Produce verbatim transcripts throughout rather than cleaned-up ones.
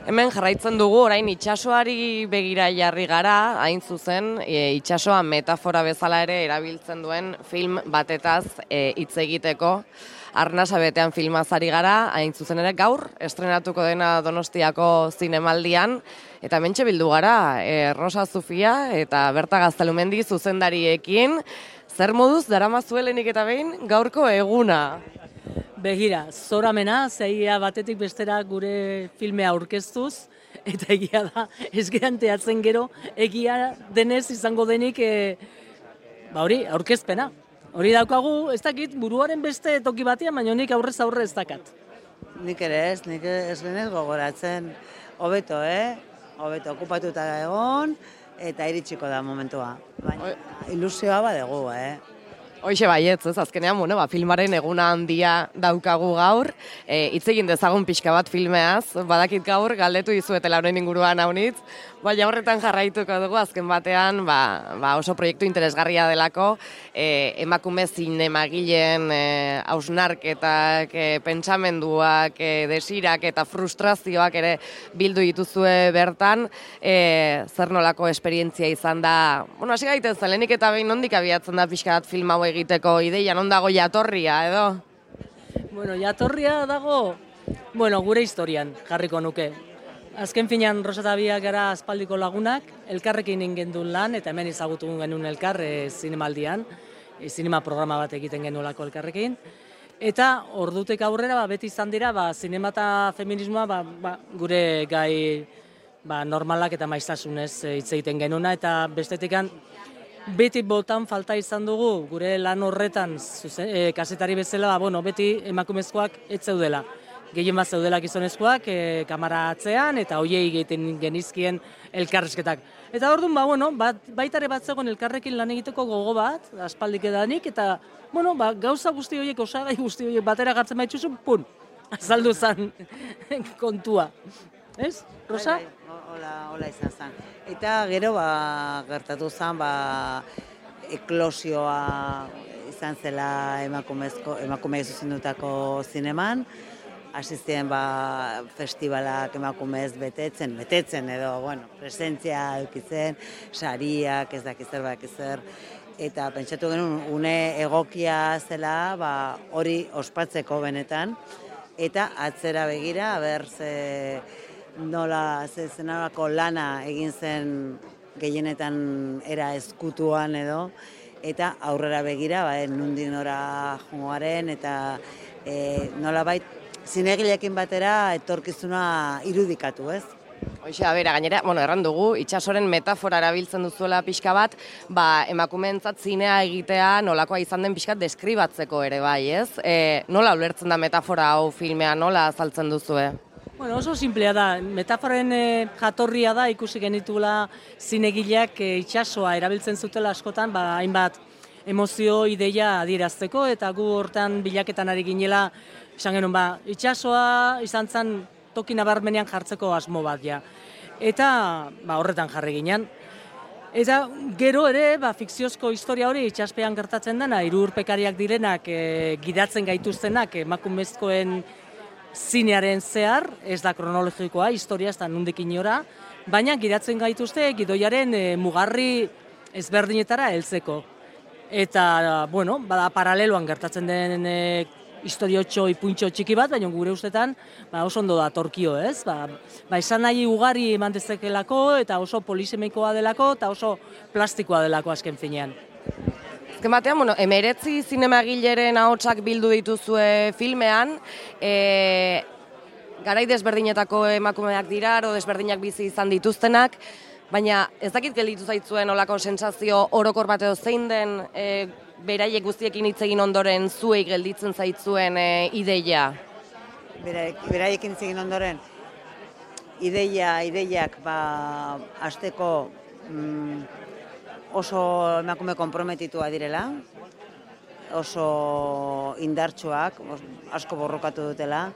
Hemen jarraitzen dugu orain itsasoari begira jarri gara, hain zuzen, e, itsasoa metafora bezala ere erabiltzen duen film batetaz e, hitz egiteko. Arnasa betean filmaz ari gara, hain zuzen ere gaur, estrenatuko dena Donostiako zinemaldian, eta hementxe bildu gara, e, Rosa Zufia eta Berta Gaztelumendi zuzendariekin, zer moduz daramazuelenik eta behin gaurko eguna? Begira, zoramena, zeia batetik bestera gure filmea aurkeztuz, eta egia da, ez geranteatzen gero, egia denez izango denik, e, ba hori, aurkezpena. Hori daukagu, ez dakit, buruaren beste toki batean, baina nik aurrez aurre ez dakat. Nik ere ez, nik ez genez gogoratzen, hobeto, eh? Hobeto, okupatuta egon, eta iritsiko da momentua. Baina ilusioa badegu, eh? Hoixe baietz, ez, azkenean, bueno, ba, filmaren eguna handia daukagu gaur, e, hitz egin dezagun pixka bat filmeaz, badakit gaur, galdetu dizuetela honen inguruan haunitz, baina horretan jarraituko dugu, azken batean, ba, ba oso proiektu interesgarria delako, e, emakume zinemagileen e, hausnarketak, e, pentsamenduak, e, desirak eta frustrazioak ere bildu dituzue bertan, e, zer nolako esperientzia izan da, bueno, hasi gaitezen, lehenik eta behin nondik abiatzen da pixka bat film hau egiteko ideia, non dago jatorria, edo? Bueno, jatorria dago, bueno, gure historian jarriko nuke. Azken finean, Rosa eta biak gara aspaldiko lagunak, elkarrekin ingendun lan, eta hemen ezagutu genuen elkar e, zinemaldian, e, zinema programa bat egiten genuelako elkarrekin. Eta ordutek aurrera, ba, beti izan dira, ba, zinema eta feminismoa ba, ba, gure gai ba, normalak eta maiztasunez hitz egiten genuna, eta bestetikan, beti botan falta izan dugu, gure lan horretan, zuzen, e, kasetari bezala, ba, bueno, beti emakumezkoak ez zeudela. Gehien bat zeudela gizonezkoak, e, kamara atzean, eta hoiei egiten genizkien elkarrezketak. Eta orduan, ba, bueno, bat, baitare bat zegoen elkarrekin lan egiteko gogo bat, aspaldik edanik, eta, bueno, ba, gauza guzti horiek, osagai guzti horiek batera gartzen baitxuzu, pun, azaldu zen kontua. Ez, Rosa? Bai, bai, hola, hola izan zen. Eta gero ba, gertatu zen ba, eklosioa izan zela emakumezko, emakume zuzendutako zineman, hasi ziren ba, festivalak emakumez betetzen, betetzen edo, bueno, presentzia edukitzen, sariak, ez dakiz zer, badakiz zer, eta pentsatu genuen une egokia zela ba, hori ospatzeko benetan, eta atzera begira, ber, ze, nola zenarako lana egin zen gehienetan era ezkutuan edo, eta aurrera begira, ba, nundik nora jomoaren, eta e, nola bait, zinegileekin batera etorkizuna irudikatu, ez? Hoxe, a bera, gainera, bueno, erran dugu, itsasoren metafora erabiltzen duzuela pixka bat, ba, emakumeentzat zinea egitea nolakoa izan den pixkat deskribatzeko ere bai, ez? E, nola ulertzen da metafora hau filmea, nola azaltzen duzue? Bueno, oso simplea da, metaforen e, jatorria da, ikusi genitula zinegileak e, itsasoa erabiltzen zutela askotan, ba, hainbat emozio, ideia adierazteko, eta gu hortan bilaketan ari ginela, esan genuen, ba, itsasoa izan zen toki nabarmenean jartzeko asmo bat, ja. Eta ba, horretan jarri ginen. Eta gero ere, ba, fikziozko historia hori itsaspean gertatzen dena, hiru urpekariak direnak, e, gidatzen gaituztenak, emakumezkoen zinearen zehar, ez da kronologikoa, historia ez da nundik inora, baina gidatzen gaituzte gidoiaren e, mugarri ezberdinetara heltzeko. Eta, bueno, bada paraleloan gertatzen den e, historiotxo, ipuntxo txiki bat, baina gure ustetan ba, oso ondo da torkio, ez? Ba, ba esan nahi ugari eman dezakelako, eta oso polisemikoa delako, eta oso plastikoa delako azken finean. Azken batean, bueno, emeretzi zinemagileren ahotsak bildu dituzue filmean, e, garai desberdinetako emakumeak dira, aro desberdinak bizi izan dituztenak, baina ez dakit gelditu zaitzuen olako sentsazio orokor bat edo zein den e, beraiek guztiekin hitz egin ondoren zuei gelditzen zaitzuen e, ideia? Beraiekin hitz egin ondoren, ideia, ideiak, ba, hasteko mm, oso emakume konprometitua direla, oso indartsuak, asko borrokatu dutela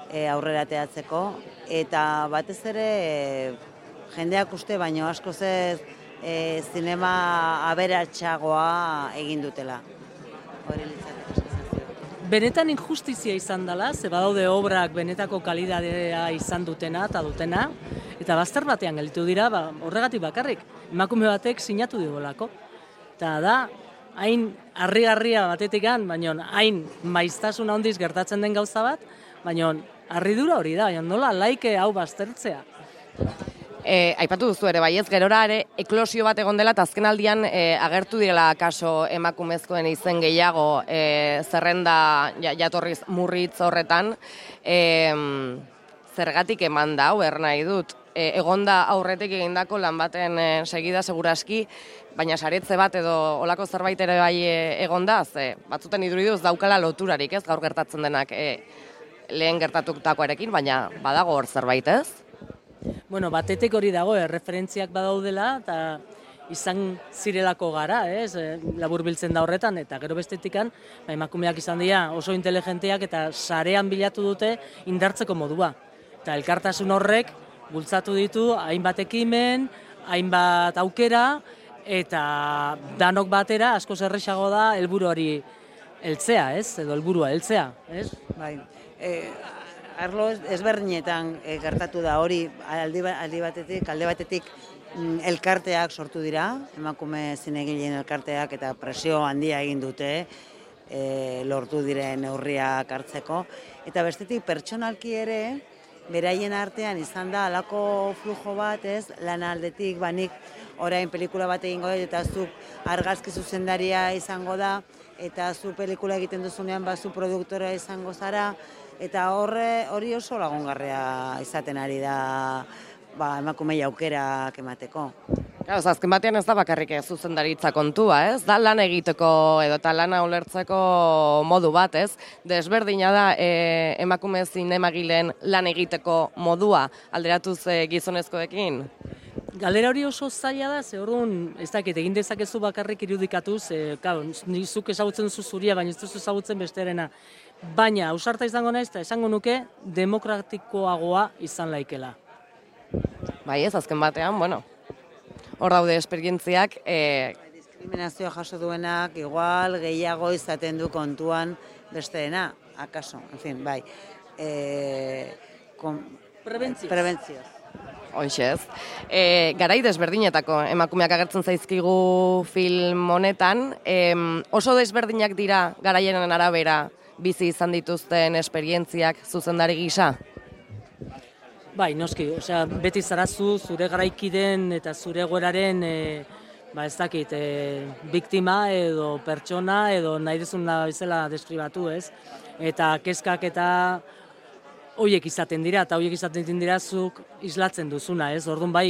e, aurrera teatzeko, eta batez ere e, jendeak uste baino asko ez e, zinema aberatsagoa egin dutela. Hori litzateke. benetan injustizia izan dela, ze badaude obrak benetako kalidadea izan dutena eta dutena, eta bazter batean gelditu dira, ba, horregatik bakarrik, emakume batek sinatu digolako. Eta da, hain harrigarria batetikan, baina hain maiztasuna handiz gertatzen den gauza bat, baina harridura hori da, baina nola laike hau baztertzea. E, aipatu duzu ere, baiez, gerora ere eklosio bat egon dela, eta azken aldian e, agertu direla kaso emakumezkoen izen gehiago e, zerrenda ja, jatorriz murritz horretan. E, zergatik eman da, hau nahi dut, e, egonda aurretik egindako lan baten e, segida seguraski, baina saretze bat edo olako zerbait ere bai e, egonda, ze batzuten iduriduz daukala loturarik, ez, gaur gertatzen denak e, lehen gertatutakoarekin, baina badago hor zerbait, ez? Bueno, batetik hori dago, erreferentziak badaudela, eta izan zirelako gara, ez, labur biltzen da horretan, eta gero bestetikan, ba, emakumeak izan dira oso inteligenteak eta sarean bilatu dute indartzeko modua. Eta elkartasun horrek bultzatu ditu hainbat ekimen, hainbat aukera, eta danok batera asko errazago da helburu hori heltzea, ez, edo helburua heltzea, ez? Bai, e, arlo ezberdinetan e, gertatu da hori, aldi, aldi batetik, alde batetik mm, elkarteak sortu dira, emakume zinegileen elkarteak eta presio handia egin dute, e, lortu diren neurriak hartzeko, eta bestetik pertsonalki ere, beraien artean izan da halako flujo bat, ez, lan aldetik, banik orain pelikula bat egingo dut, eta zuk argazki zuzendaria izango da, eta zu pelikula egiten duzunean bazu produktora izango zara, eta horre hori oso lagungarria izaten ari da ba, emakumei aukerak emateko. Claro, azken batean ez da bakarrik zuzendaritza kontua, ez? Da lan egiteko edo eta lana ulertzeko modu bat, ez? Desberdina da e, emakume zinemagileen lan egiteko modua alderatuz e, gizonezkoekin? Galdera hori oso zaila da, ze orduan, ez dakit, egin dezakezu bakarrik irudikatuz, e, claro, zuk ezagutzen duzu zuria, baina ez duzu ezagutzen besterena. Baina, ausarta izango naiz, eta esango nuke, demokratikoagoa izan laikela. Bai ez, azken batean, bueno, hor daude esperientziak. E... Diskriminazioa jaso duenak, igual, gehiago izaten du kontuan besteena, akaso, en fin, bai. E... Kon... Prebentzioz. Prebentzioz. Hoxez. E, garai desberdinetako emakumeak agertzen zaizkigu film honetan. E, oso desberdinak dira garaienen arabera bizi izan dituzten esperientziak zuzendari gisa? Bai, noski, osea, beti zarazu zure garaikiden eta zure egoeraren e, ba ez dakit, e, biktima edo pertsona edo nahi duzuna bezala deskribatu, ez? Eta kezkak eta horiek izaten dira, eta horiek izaten dira zuk islatzen duzuna, ez? Orduan bai,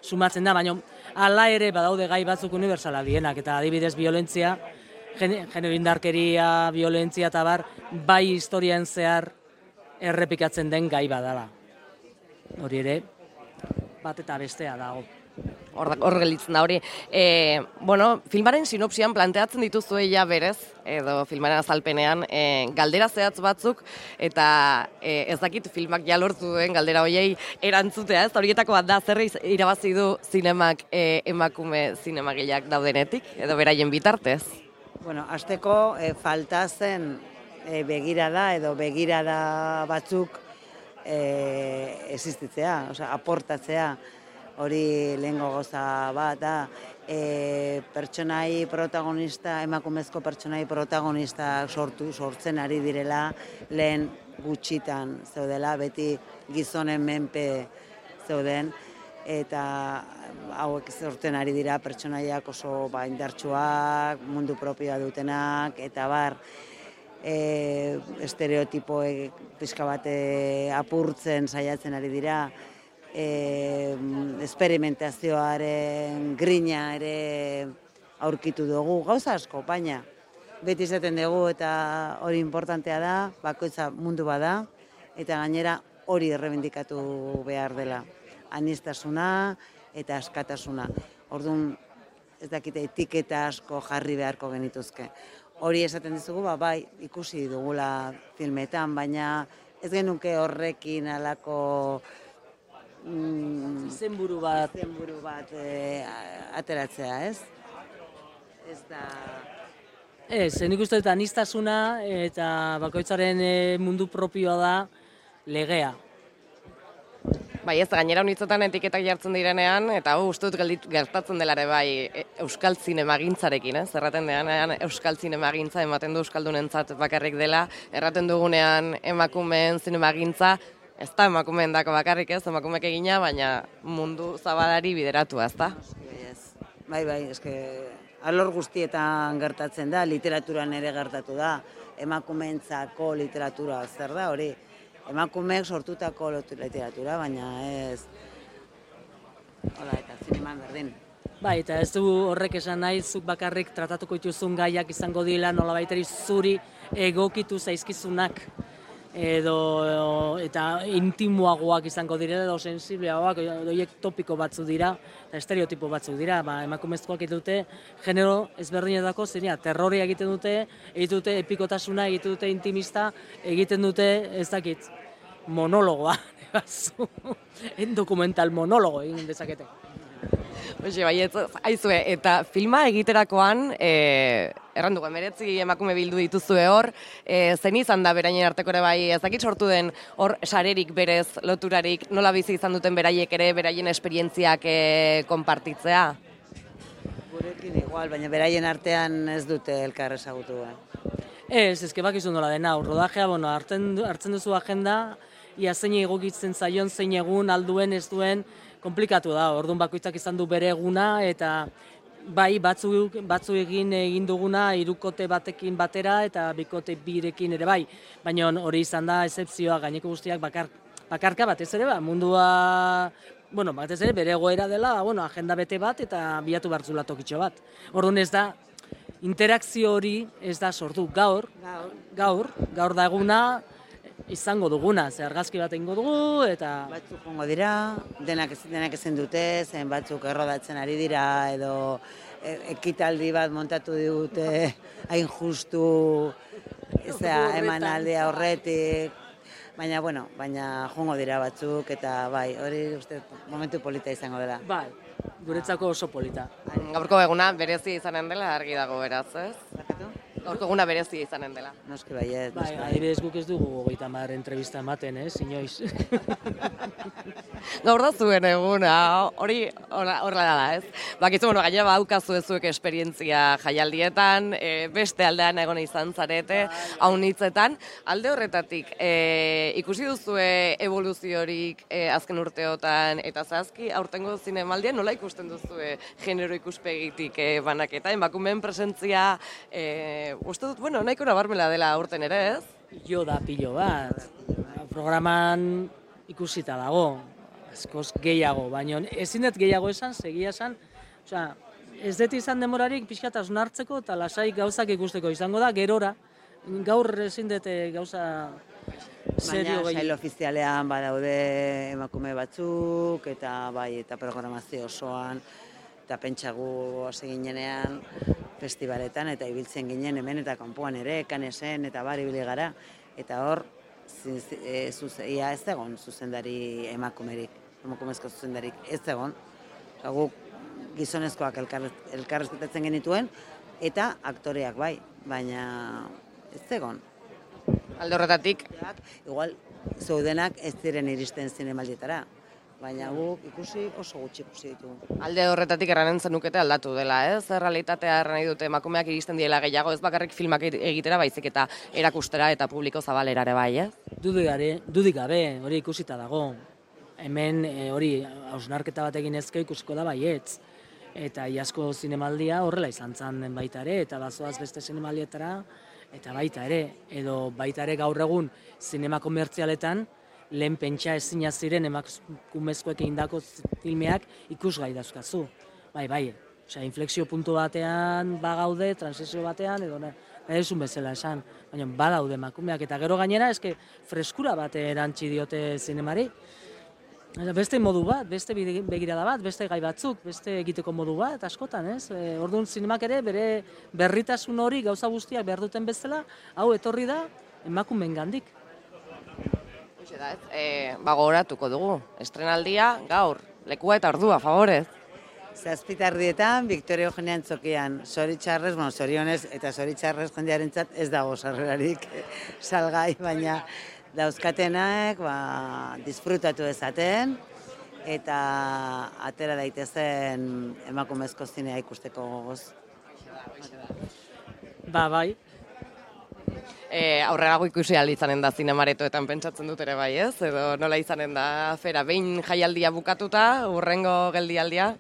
sumatzen da, baina hala ere badaude gai batzuk unibertsala dienak, eta adibidez violentzia, genero indarkeria, violentzia eta bar, bai historian zehar errepikatzen den gai badala. Hori ere, bat eta bestea dago. Hor gelitzen da hori. E, bueno, filmaren sinopsian planteatzen dituzue ja berez, edo filmaren azalpenean, e, galdera zehatz batzuk, eta e, ez dakit filmak ja lortu duen galdera horiei erantzutea, ez? Horietako bat da, zer irabazi du zinemak e, emakume zinemagileak daudenetik, edo beraien bitartez? Bueno, hasteko e, falta zen e, begirada edo begirada batzuk e, existitzea, osea, aportatzea. Hori lehengo goza bat da, e, pertsonai protagonista, emakumezko pertsonai protagonista sortu, sortzen ari direla, lehen gutxitan zeudela, beti gizonen menpe zeuden, eta hauek sortzen ari dira pertsonaiak oso ba, indartsuak, mundu propioa dutenak, eta bar, e, estereotipoek pixka bate apurtzen saiatzen ari dira, E, esperimentazioaren grina ere aurkitu dugu, gauza asko, baina beti izaten dugu eta hori importantea da, bakoitza mundu bada, eta gainera hori errebindikatu behar dela, anistasuna eta askatasuna. Orduan, ez dakite, etiketa asko jarri beharko genituzke. Hori esaten dizugu, ba, bai, ikusi dugula filmetan, baina ez genuke horrekin alako Mm, izenburu bat, izenburu bat e, ateratzea, ez? Ez da... Ez, nik uste dut aniztasuna eta bakoitzaren e, mundu propioa da legea. Bai, ez, gainera unitzetan etiketak jartzen direnean, eta hau uste dut gelditu- gertatzen dela ere bai e, euskal zinemagintzarekin, ez? Erraten denean euskal zinemagintza ematen du euskaldunentzat bakarrik dela, erraten dugunean emakumeen zinemagintza, ez da emakumeen dako bakarrik ez, emakumeek egina, baina mundu zabalari bideratua, ez da? Bai, bai, eske alor guztietan gertatzen da, literaturan ere gertatu da, emakumeentzako literatura zer da hori, emakumeek sortutako literatura, baina ez, hola, eta zineman berdin. Bai, eta ez du horrek esan nahi, zuk bakarrik tratatuko dituzun gaiak izango dira nolabaiteri zuri egokitu zaizkizunak, edo eta intimoagoak izango direla edo sensibleagoak, horiek topiko batzuk dira eta estereotipo batzuk dira, ba, emakumezkoak egiten dute genero ezberdinetako zinia, terroria egiten dute, egiten dute epikotasuna, egiten dute intimista, egiten dute, ez dakit, monologoa, en dokumental monologo egin dezakete. Hoxe, bai, ez, aizue, eta filma egiterakoan, e, errandugu, emeretzi emakume bildu dituzue hor, e, zen izan da beraien arteko ere bai, ez dakit sortu den hor sarerik berez, loturarik, nola bizi izan duten beraiek ere, beraien esperientziak e, konpartitzea? Gurekin igual, baina beraien artean ez dute elkar ezagutu. Eh? Ez, ezke bakizu nola dena, rodajea, bueno, hartzen, hartzen duzu agenda, ia zein egokitzen zaion, zein egun, alduen, ez duen, komplikatu da, orduan bakoitzak izan du bere eguna, eta bai, batzu, batzu egin egin duguna hirukote batekin batera, eta bikote birekin ere bai, baina hori izan da excepzioa, gaineko guztiak bakar, bakarka batez ere, ba, mundua, bueno, batez ere bere egoera dela, bueno, agenda bete bat, eta bilatu bartzula tokitxo bat. Orduan ez da, interakzio hori ez da sortu, gaur, gaur, gaur da eguna, izango duguna, ze argazki bat egingo dugu, eta... Batzuk jongo dira, denak, denak ezin dute, zen batzuk errodatzen ari dira, edo e, ekitaldi bat montatu digute, hain justu, ezea, eman aldea horretik, baina, bueno, baina jongo dira batzuk, eta bai, hori uste momentu polita izango dela. Bai, guretzako oso polita. Gaurko eguna berezia izanen dela argi dago beraz, ez? Zakatu? Gaurko eguna berezia izanen dela. Noski baiet. Bai, adibidez guk ez dugu hogeita hamar entrevista ematen, ez, inoiz. Gaur da zuen eguna, hori horrela da, ez? Bakizu, bueno, gainera badaukazu zuek esperientzia jaialdietan, e, beste aldean egon izan zarete, haunitzetan. Alde horretatik, e, ikusi duzue evoluziorik e, azken urteotan, eta zehazki, aurtengo zinemaldian nola ikusten duzue genero ikuspegitik e, banaketa, emakumeen presentzia, e, uste dut, bueno, nahiko nabarmela dela aurten ere, ez? Jo da pilo bat, programan ikusita dago, askoz gehiago, baina ezin dut gehiago esan, segia esan, osea, ez dut izan demorarik pixkat hausnartzeko eta lasai gauzak ikusteko izango da, gerora, gaur ezin dut gauza serio Baina gehi. sail ofizialean badaude emakume batzuk, eta bai, eta programazio osoan, eta pentsagu hasi ginenean festivaletan, eta ibiltzen ginen hemen eta kanpoan ere, kanesen, eta bar ibili gara, eta hor, e, zuze, ia ez egon zuzendari emakumerik, emakumezko zuzendarik ez egon, oza, guk gizonezkoak elkar, elkarrezketatzen genituen, eta aktoreak bai, baina ez egon. Alde horretatik, Igual, zeudenak ez ziren iristen zinemaldietara, baina guk ikusi oso gutxi ikusi ditugu. alde horretatik erranen zenukete aldatu dela, ez? Realitatea erran nahi dute emakumeak iristen diela gehiago, ez bakarrik filmak egitera baizik eta erakustera eta publiko zabalera ere bai, ez? Dudik gabe, dudik gabe, hori ikusita dago. Hemen e, hori hausnarketa bat egin ezke ikusiko da baietz. Eta iazko zinemaldia horrela izan zen baita ere, eta bazoaz beste zinemaldietara, eta baita ere, edo baita ere gaur egun zinema komertzialetan, lehen pentsa ezina ziren emakumezkoek egindako filmeak ikusgai dauzkazu. Bai, bai, osea, inflexio puntu batean bagaude, transizio batean, edo nahi duzun bezala esan, baina badaude emakumeak, eta gero gainera, eske freskura bat erantzi diote zinemari. Beste modu bat, beste begirada bat, beste gai batzuk, beste egiteko modu bat, askotan, ez? E, orduan zinemak ere bere berritasun hori gauza guztiak behar duten bezala, hau etorri da emakumeen gandik. Hoxe da, ez? E, ba, gogoratuko dugu. Estrenaldia gaur, lekua eta ordua, favorez. Zazpitardietan, Victoria Eugenia Antzokian, zoritxarrez, bueno, zorionez eta zoritxarrez jendearentzat ez dago sarrerarik salgai, baina dauzkatenak ba, disfrutatu dezaten eta atera daitezen emakumezko zinea ikusteko gogoz. Ba, bai. E, aurrerago ikusi ahal izanen da zinemaretoetan pentsatzen dut ere bai, ez? Edo nola izanen da fera, behin jaialdia bukatuta, urrengo geldialdia?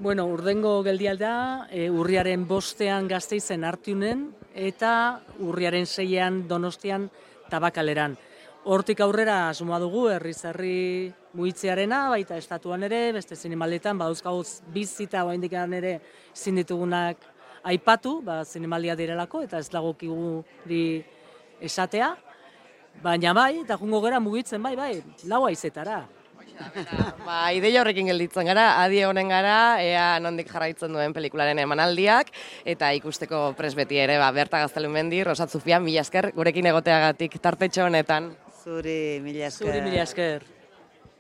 Bueno, urrengo geldialdia e, urriaren bostean Gasteizen Artiunen eta urriaren seian Donostian Tabakaleran. Hortik aurrera asmoa dugu herriz herri muitzearena, baita estatuan ere, beste zinemaldetan, badauzkagoz bizita oraindik ere ezin ditugunak aipatu, ba, zinemaldia direlako, eta ez dagokigu di esatea, baina bai, eta jungo gera mugitzen bai, bai, lau haizetara. Ba, ideia horrekin gelditzen gara, adi honen gara, ea nondik jarraitzen duen pelikularen emanaldiak, eta ikusteko pres beti ere, ba, Berta Gaztelumendi, Rosat Zufia, mila esker, gurekin egoteagatik tartetxo honetan. Zuri, mila esker. Zuri, mila esker.